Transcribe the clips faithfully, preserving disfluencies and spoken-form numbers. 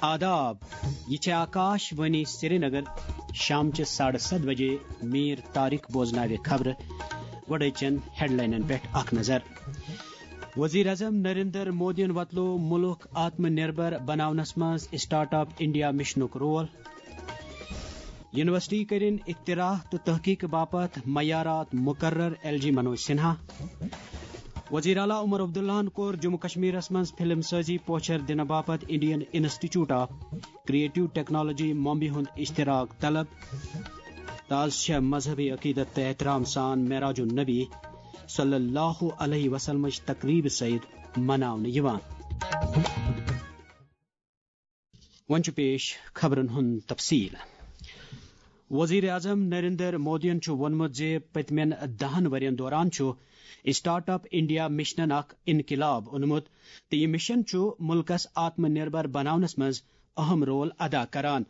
آداب، یہ چھے آکاش وانی سرینگر۔ شام چہ ساڑھے ستھ بجے میر طارق بوزناوِ خبرٕ۔ گۄڈے چن ہیڈلاینن پٮ۪ٹھ اکھ نظر۔ وزیر اعظم نریندر مودیَن وۄتلو ملک آتم نربھر بناونس منٛز اسٹارٹ اپ انڈیا مشنُک رول۔ یونیورسٹی کٔرِن اختراع تہٕ تحقیق باپتھ معیارات مقرر، ایل جی منوج سنہا۔ وزیر اعلیٰ عمر عبداللہَن کوٚر جموں کشمیرس منٛز فلم سازی پوچھر دِنہٕ باپتھ Indian institute of creative technology Mumbai ہُنٛد اشتراک طلب۔ تہٕ آز چھےٚ مذہبی عقیدت تہٕ احترام سان معراج النبی صلی اللہ علیہ وسلمٕچ تقریب سعید مناونہٕ یِوان۔ وۄنۍ چھُ پیش خبرن ہُنٛد تفصیل۔ وزیر اعظم نریندر مودیَن چھُ ووٚنمُت زِ پٔتمٮ۪ن دَہَن ؤرین دوران چھُ اسٹارٹ اپ انڈیا مشنَن اکھ انقلاب اوٚنمُت تہٕ یہِ مشن چھُ ملکس آتم نربھر بناونس منٛز اہم رول ادا کران۔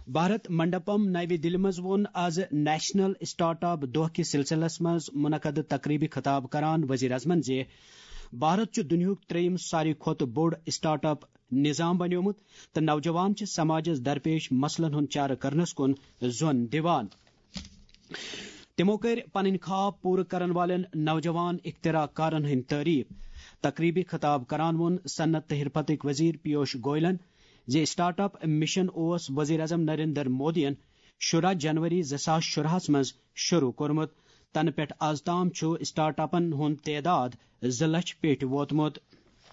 بھارت منڈپم نَوِ دِلہِ منٛز ووٚن آز نیشنل اسٹارٹ اپ دۄہ کِس سلسلس منٛز منعقد تقریبہِ خطاب کران وزیر اعظمن زِ بھارت چھُ دُنیاہُک ترٛیٚیِم ساروی کھۄتہٕ بوٚڑ اسٹارٹ اپ نظام بنیومُت تہٕ نوجوان چھِ سماجس درپیش مسلن ہُنٛد چارٕ کرنس کُن زون دِوان۔ تِمو کٔرۍ پنٕنۍ خواب پوٗرٕ کرن والٮ۪ن نوجوان اختراع کارن ہٕنٛدۍ تعریف۔ تقریبہِ خطاب کران ووٚن صنعت تہٕ حرفتٕکۍ وزیر پیوش گوئلن زِ اسٹارٹ اپ مشن اوس وزیر اعظم نریندر مودیَن شُراہ جنوری زٕ ساس شُراہَس منٛز شروع کوٚرمُت۔ تنہٕ پٮ۪ٹھ آز تام چھُ اسٹارٹ اپن ہُنٛد تعداد زٕ لچھ پیٚٹھۍ ووتمُت۔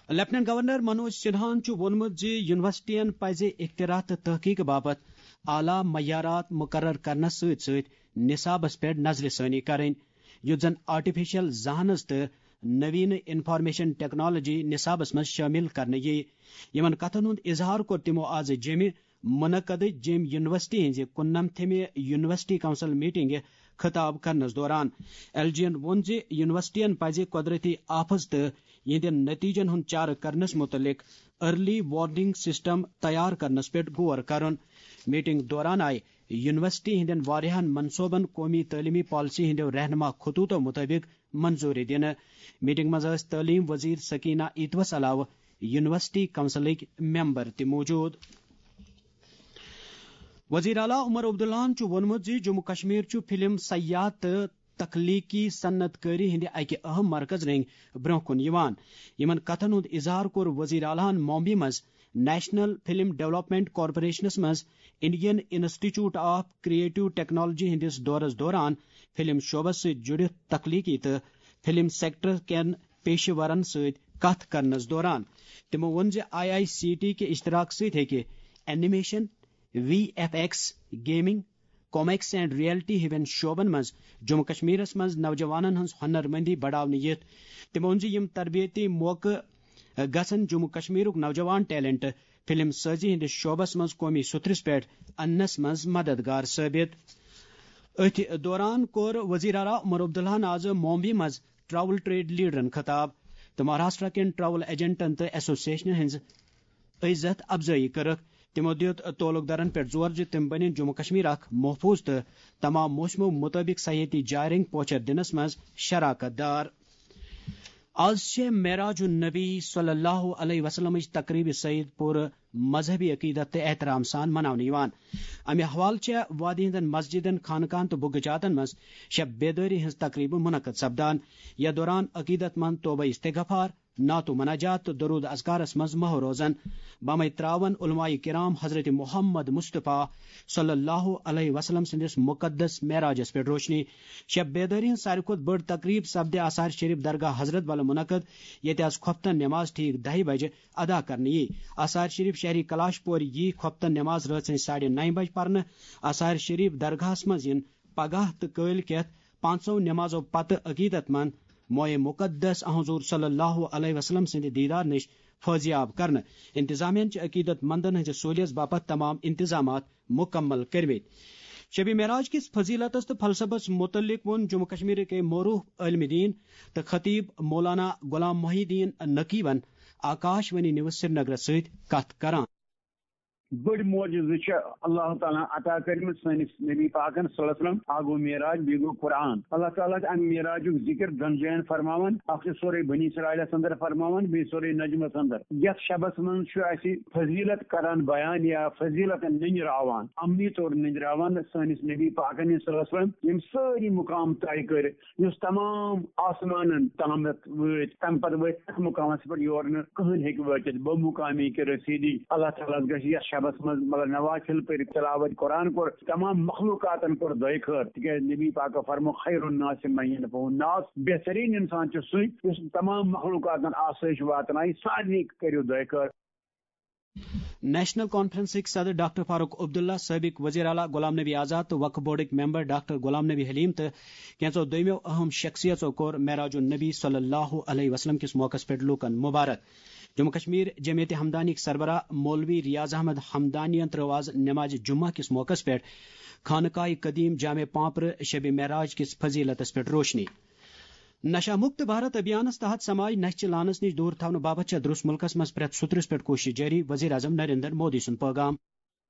لیفٹیننٹ گورنر منوج سنہاہَن چھُ ووٚنمُت زِ یونیورسٹین پزِ اختراع تہٕ تحقیق باپتھ اعلیٰ معیارات مقرر کرنس سۭتۍ سۭتۍ نصابس پٮ۪ٹھ نظرِ ثٲنی کرٕنۍ، یُتھ زن آرٹیفیشل ذہانت تہٕ نوین انفارمیشن ٹیکنالوجی نصابس منٛز شٲمِل کرنہٕ یِیہِ۔ یِمن کتھن ہُنٛد اظہار کوٚر تِمو آز جیٚمہِ منعقدٕچ جیٚمۍ یونیورسٹی ہٕنٛزِ کُننمتھمہِ یونیورسٹی کونسل میٹنگہِ خطاب کرنس دوران۔ ایل جی ین ووٚن زِ یونیورسٹین پزِ قۄدرتی آفژ تہٕ یِہنٛدٮ۪ن نتیجن ہُنٛد چارٕ کرنس متعلق ارلی وارننگ سسٹم تیار کرنس پٮ۪ٹھ غور کرُن۔ میٹنگ دوران آیہِ یونیورسٹی ہٕنٛدٮ۪ن واریاہن منصوبن قومی تعلیمی پالیسی ہٕنٛدٮ۪و رہنما خطوطو مطٲبق منظوری دِنہٕ۔ میٹنگ منٛز ٲسۍ تعلیٖم وزیر سکینہ ایتوس علاوٕ یونیورسٹی کونسلٕکۍ ممبر تہِ موجود۔ وزیر اعلیٰ عمر عبداللہَن چھُ ووٚنمُت زِ جموں کشمیر چھُ فلم، سیاحت تہٕ تخلیقی صنعت کٲری ہٕنٛدِ اکہِ اہم مرکز رٔنگۍ برونٛہہ کُن یِوان۔ یِمن کتھن ہُنٛد اظہار کوٚر وزیر اعلیٰ ہَن ممبئی منٛز نیشنل فلم ڈیولپمنٹ کارپوریشنس منٛز Indian institute of creative technology ہٕنٛدِس دورس دوران فلم شعبس سۭتۍ جُڑِتھ تخلیقی تہٕ فلم سیکٹر کٮ۪ن پیشہٕ ورن سۭتۍ کتھ کرنس دوران۔ تِمو ووٚن زِ آئی آئی سی ٹی کہِ اشتراک سۭتۍ ہیٚکہِ animation, V F X, gaming, comics and reality ہِوٮ۪ن شعبن منٛز جموں کشمیرس منٛز نوجوانن ہٕنٛز ہُنر مندی بڑاونہٕ یِتھ۔ تِمو ووٚن زِ یِم تربیتی موقعہٕ گژھن جموں کشمیرُک نوجوان ٹیلنٹ فلم سازی ہٕنٛدِس شعبس منٛز قومی سترس پٮ۪ٹھ اننس منٛز مددگار ثٲبت۔ أتھۍ دوران کوٚر وزیر اعلیٰ عمر عبداللہَن آز ممبئی منٛز ٹریول ٹریڈ لیڈرن خطاب تہٕ مہاراشٹرا کٮ۪ن ٹریول ایجنٹن تہٕ ایسوسیشنن ہٕنٛز عزت افزٲیی کٔرٕکھ۔ تِمو دیُت تعلق دارن پٮ۪ٹھ زور زِ تِم بنن جموں کشمیر اکھ محفوظ تہٕ تمام موسمو مطٲبق سیاحتی جاے رنگ پوچھر دِنس منٛز شراکت دار۔ آز چھےٚ معراج النبی صلی اللہ علیہ وسلمٕچ تقریب سعید پورٕ مذہبی عقیدت تہٕ احترام سان مناونہٕ یِوان۔ امہِ حوالہٕ چھےٚ وادی ہٕنٛدٮ۪ن مسجدن، خانقاہن تہٕ بُگہٕ جاتن منٛز شب بیدٲری ہٕنٛز تقریبہٕ منعقد سپدان۔ یتھ دوران عقیدت مند توبہ استغفار، نعت و مناجات تہٕ درود اذکارس منٛز محو روزان۔ بمے تراون علماء کرام حضرت محمد مصطفیٰ صلی اللہ علیہ وسلم سٕنٛدِس مقدس معراجس پٮ۪ٹھ روشنی۔ شب بیدٲری ہٕنٛز ساروی کھۄتہٕ بٔڑ تقریب سپدِ آثار شریف درگاہ حضرت بل منعقد، ییٚتہِ آز خۄفتن نماز ٹھیک دَہہِ بجہِ ادا کرنہٕ یی۔ آثار شریف شہری کلاش پورِ یی خۄفتن نماز رٲژ ہٕنٛزِ ساڑِ نَیہِ بجہِ پرنہٕ۔ آثار شریف درگاہس منٛز یِن پگاہ تہٕ کٲلۍ کٮ۪تھ پانٛژو نمازو پتہٕ عقیدت مند موئے مقدس حضور صلی اللہ علیہ وسلم سٕنٛدِ دیدار نِش فٲضیاب کرنہٕ۔ انتظامیہ چھِ عقیدت مندن ہٕنٛزِ سہولیت باپتھ تمام انتظامات مکمل کٔرمٕتۍ۔ شبِ معراج کِس فضیلتس تہٕ فلسفس متعلق ووٚن جموں کشمیرٕکۍ معروف عالم دین تہٕ خطیب مولانا غلام محی الدین نقویَن آکاش وانی نیوز سرینگرس سۭتۍ کتھ کران۔ بٔڑۍ معجزٕ چھِ اللہ تعالیٰ ہن عطا کٔرمٕتۍ سٲنِس نبی پاکن صلی اللہ علیہ وسلم۔ اکھ گوٚو معراج، بیٚیہِ گوٚو قرآن۔ اللہ تعالیٰ چھِ اَمہِ معراجُک ذِکر دۄن جاین فرماوان۔ اکھ چھُ سورہ بنی اسرائیلس اندر فرماوان، بیٚیہِ سورہ نجمس اندر۔ یتھ شبس منٛز چھُ اَسہِ فضیلت کران بیان یا فضیلت نٔنٛدراوان، عملی طور نٔنٛدراوان سٲنِس نبی پاکن صلی اللہ علیہ وسلم، ییٚمۍ سٲری مقام طے کٔرۍ۔ یُس تمام آسمانن تامتھ وٲتۍ، تمہِ پتہٕ وٲتۍ اتھ مقامس پٮ۪ٹھ یور نہٕ کٕہٕنۍ ہیٚکہِ وٲتِتھ۔ بہٕ مقامی کہِ رسیدی۔ اللہ تعالیٰ ہس گژھِ یتھ شبس منٛز، مطلب، نوافل پٔرِتھ، تلاوت قرآن کوٚر، تمام مخلوقاتن کوٚر دۄیہِ خٲر، تِکیازِ نبی پاکو فرمو، "خیر الناس من ينفع الناس"، بہترین انسان چھُ سُے یُس تمام مخلوقاتن آسٲیش واتنایہِ۔ سارنٕے کٔرِو دۄیہِ خٲر۔ نیشنل کانفرنسٕکۍ صدر ڈاکٹر فاروق عبداللہ، سٲبق وزیر اعلیٰ غلام نبی آزاد تہٕ وقف بورڈٕکۍ ممبر ڈاکٹر غلام نبی حلیم تہٕ کینٛژو دوٚیمو اہم شخصیژو کوٚر معراج النبی صلی اللہ علیہ وسلم کِس موقعس پٮ۪ٹھ لوٗکن مبارک۔ جموں کشمیر جمعیت ہمدانیٕکۍ سربراہ مولوی ریاض احمد ہمدانین ترٲو آز نماز جمعہ کِس موقعس پٮ۪ٹھ خانقاہ قدیم جامع پانپرٕ شب معراج کِس فضیلتس پٮ۪ٹھ روشنی۔ نشہ مکت بھارت ابھیانس تحت سماج نشہ چہ لعنس نش دور تھاونہٕ باپتھ چھےٚ درس ملکس منٛز پرٛٮ۪تھ سُترس پٮ۪ٹھ کوشش جٲری، وزیر اعظم نریندر مودی سُنٛد پٲغام۔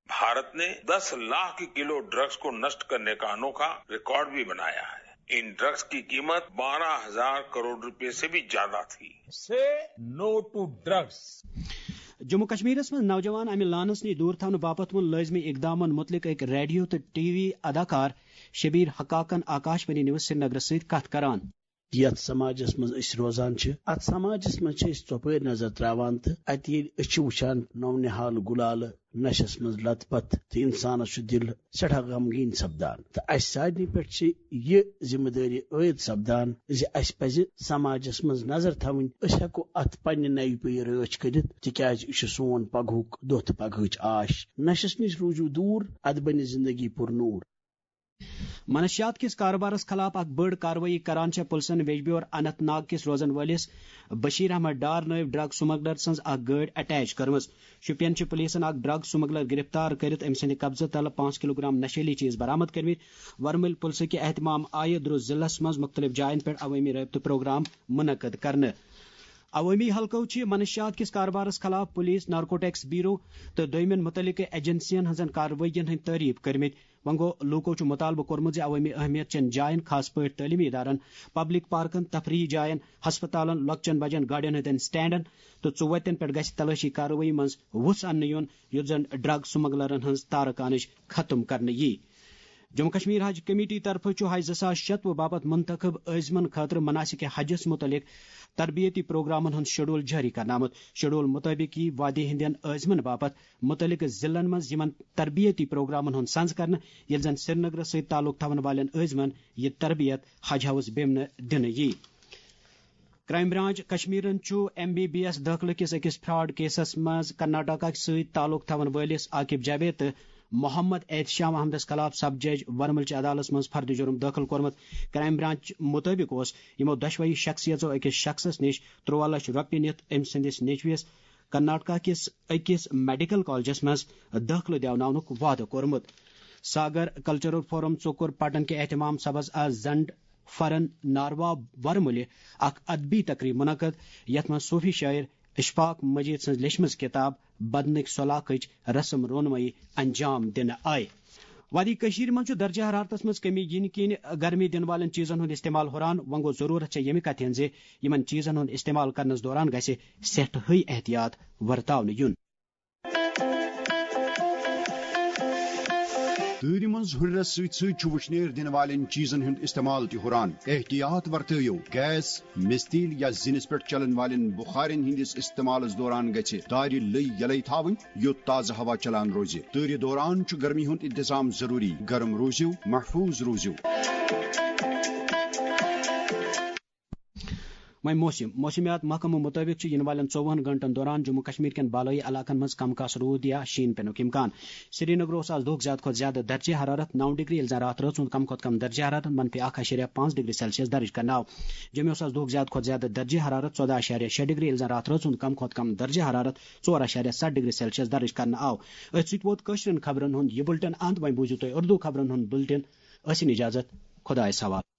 भारत ने दस लाख किलो ड्रग्स को नष्ट करने का अनोखा रिकॉर्ड भी बनाया है। इन ड्रग्स की कीमत बारह हजार करोड़ रुपए से भी ज्यादा थी। Say no to drugs. Jammu کشمیرس منٛز نوجوان امہِ لعنس نش دور تھاونہٕ باپتھ ووٚن لٲزمی اقدامن متعلق أکۍ ریڈیو تہٕ ٹی وی اداکار شبیر حقاقن آکاش وانی نیوز سرینگرس سۭتۍ کتھ کران۔ یتھ سماجس منٛز أسۍ روزان چھِ، اتھ سماجس منٛز چھِ أسۍ ژۄپٲرۍ نظر تراوان تہٕ اتہِ ییٚلہِ أسۍ چھِ وٕچھان نو نہال گُلالہٕ نشس منٛز لت پتھ تہٕ انسانس چھُ دل سٮ۪ٹھاہ غمگیٖن سپدان۔ تہٕ اسہِ سارنٕے پٮ۪ٹھ چھِ یہِ ذمہٕ دٲری عٲید سپدان زِ اسہِ پزِ سماجس منٛز نظر تھاوٕنۍ، أسۍ ہٮ۪کو اتھ پننہِ نوِ پُیہِ رٲچھ کٔرِتھ، تِکیازِ یہِ چھُ سون پگہُک دۄہ تہٕ پگہٕچ آش۔ نشس نِش روٗزِو دوٗر، ادٕ بنہِ زندگی پُر نوٗر۔ منشیات کِس کارٕبارس خلاف اکھ بٔڑ کاروٲیی کران چھےٚ پُلسن ویجبیور اننت ناگ کِس روزن وٲلِس بشیر احمد ڈار نٲوۍ ڈرگ سمگلر سٕنٛز اکھ گٲڑۍ اٹیچ کٔرمٕژ۔ شوپین چھِ پُلیٖسن اکھ ڈرگ سمگلر گرفتار کٔرِتھ أمۍ سٕنٛدِ قبضہٕ تلہٕ پانٛژھ کلوگرام نشیلی چیٖز برآمد کٔرمٕتۍ۔ ورمٕلۍ پُلسہٕ کہِ اہتمام آیہِ درُس ضلعس منٛز مُختٔلِف جاین پٮ۪ٹھ عوٲمی رٲبطہٕ پروگرام منعقد کرنہٕ۔ عوٲمی حلقو چھِ منشیات کِس کاربارس خلاف پُلیٖس، نارکوٹکس بیورو تہٕ دوٚیمٮ۪ن مُتعلقہٕ ایجنسین ہٕنٛزن کاروٲیین ہٕنٛدۍ تعریف کٔرمٕتۍ۔ وۄنۍ گوٚو، لوٗکو چھُ مُطالبہٕ کوٚرمُت زِ عوٲمی اہمیت چٮ۪ن جاین، خاص پٲٹھۍ تعلیمی ادارن، پبلک پارکن، تفریحی جاین، ہسپتالن، لۄکچٮ۪ن بجن گاڑٮ۪ن ہٕنٛدٮ۪ن سٹینڈن تہٕ ژُوتٮ۪ن پٮ۪ٹھ گژھِ تلٲشی کاروٲیی منٛز وُژھ اننہٕ یُن، یُتھ زن ڈرگ سمگلرن ہٕنٛز تارٕ کانٕچ ختم کرنہٕ یی۔ جموں کشمیر حج کمیٹی طرفہٕ چھُ حج زٕ ساس شتوُہ باپتھ منتخب عٲزمن خٲطرٕ مناسک حجس مُتعلق تربیتی پروگرامن ہُنٛد شیڈول جٲری کرنہٕ آمُت۔ شیڈول مُطٲبِق یِیہِ وادی ہٕنٛدٮ۪ن عٲزمن باپتھ مُتعلقہٕ ضلعن منٛز یِمن تربیتی پروگرامن ہُنٛد سنز کرنہٕ، ییٚلہِ زن سرینگرس سۭتۍ تعلق تھاون والٮ۪ن عٲزمن یہِ تربیت حج ہاؤس بیمنہٕ دِنہٕ یِیہِ۔ کرائم برانچ کشمیرن چھُ ایم بی بی ایس دٲخلہٕ کِس أکِس فراڈ کیسس منٛز کرناٹکا سۭتۍ تعلق تھاون وٲلِس عاقب جاوید تہٕ محمد احتشام احمدس خلاف سب جج ورمل چہِ عدالتس منٛز فرد جرم دٲخل کوٚرمُت۔ کرائم برانچ مُطٲبِق اوس یِمو دۄشوٕے شخصیژو أکِس شخصس نِش تُرٛواہ لچھ رۄپیہِ نِتھ أمۍ سٕنٛدِس نیٚچوِس کرناٹکا کِس أکِس میڈیکل کالجس منٛز دٲخلہٕ دیوناونُک وعدٕ کوٚرمُت۔ ساگر کلچرل فورم ژوٚکُر پٹن کہِ اہتمام سبز آز زنڈ فرن ناروا ورمُلہِ اکھ ادبی تقریب منعقد، یتھ منٛز صوفی شاعر اشفاق مجید سٕنٛز لیچھمٕژ کتاب بدنٕکۍ سۄلاخٕچ رسم رونمٲیی انجام دِنہٕ آیہِ۔ وادی کٔشیٖرِ منٛز چھُ درجہ حرارتس منٛز کمی یِنہٕ کِنۍ گرمی دِنہٕ والٮ۪ن چیٖزن ہُنٛد استعمال ہُران۔ وۄنۍ گوٚو ضروٗرت چھےٚ ییٚمہِ کتھِ ہٕنٛز زِ یِمن چیٖزن ہُنٛد استعمال کرنس دوران گژھِ سٮ۪ٹھاہٕے احتیاط ورتاونہٕ یُن۔ تۭرِ منٛز ہُرٮ۪رس سۭتۍ سۭتۍ چھُ وُشنیر دِنہٕ والٮ۪ن چیٖزن ہُنٛد استعمال تہِ ہُران۔ احتیاط ورتٲیِو۔ گیس، مِستیٖل یا زِنِس پٮ۪ٹھ چلن والٮ۪ن بُخارٮ۪ن ہٕنٛدِس استعمالس دوران گژھِ دارِ لٔۍ یلے تھاوٕنۍ، یُتھ تازٕ ہوا چلان روزِ۔ تۭرِ دوران چھُ گرمی ہُنٛد انتظام ضروٗری۔ گرم روٗزِو، محفوٗظ روٗزِو۔ وۄنۍ موسم۔ موسمیات محکمہٕ مُطٲبِق چھُ یِنہٕ والٮ۪ن ژوٚوُہن گھنٹن دوران جموں کشمیر کٮ۪ن بالٲیی علاقن منٛز کم کاس روٗد یا شیٖن پینُک امکان۔ سرینگر اوس آز دۄہُک زیادٕ کھۄتہٕ زیادٕ درجہ حرارت نو ڈگری، ییٚلہِ زن راتھ رٲژ ہُنٛد کم کھۄتہٕ کم درجہ حرارت منفی اکھ اعشاریہ پانٛژھ ڈگری سیلسیس درج کرنہٕ آو۔ جوٚمہِ اوس آز دۄہُک زیادٕ کھۄتہٕ زیادٕ درجہ حرارت ژۄداہ اعشاریہ شےٚ ڈگری، ییٚلہِ زن راتھ رٲژ ہُنٛد کم کھۄتہٕ کم درجہ حرارت ژور اعشاریہ ستھ ڈگری سیلسیس درج کرنہٕ آو۔ أتھۍ سۭتۍ ووت کٲشرٮ۪ن خبرن ہُنٛد یہِ بُلٹن اند۔ وۄنۍ بوٗزِو تُہۍ اردو خبرن ہُنٛد بُلٹن۔ ٲسِن اجازت، خۄدایس حوالہٕ۔